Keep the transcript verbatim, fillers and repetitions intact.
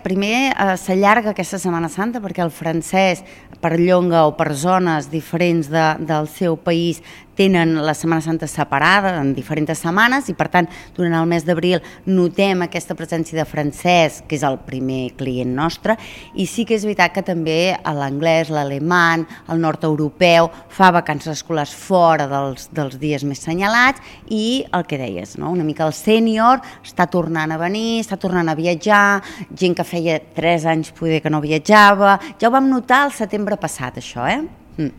Primer eh, s'allarga aquesta Setmana Santa perquè el francès perllonga o per zones diferents de, del seu país tenen la Setmana Santa separada en diferents setmanes i per tant durant el mes d'abril notem aquesta presència de francès, que és el primer client nostre, i sí que és veritat que també l'anglès, l'alemany, el nord europeu fa vacances escolars fora dels, dels dies més senyalats i el que deies, no? Una mica el sènior està tornant a venir, està tornant a viatjar, gent que feia tres anys poder que no viatjava, ja ho vam notar el setembre passat això, eh?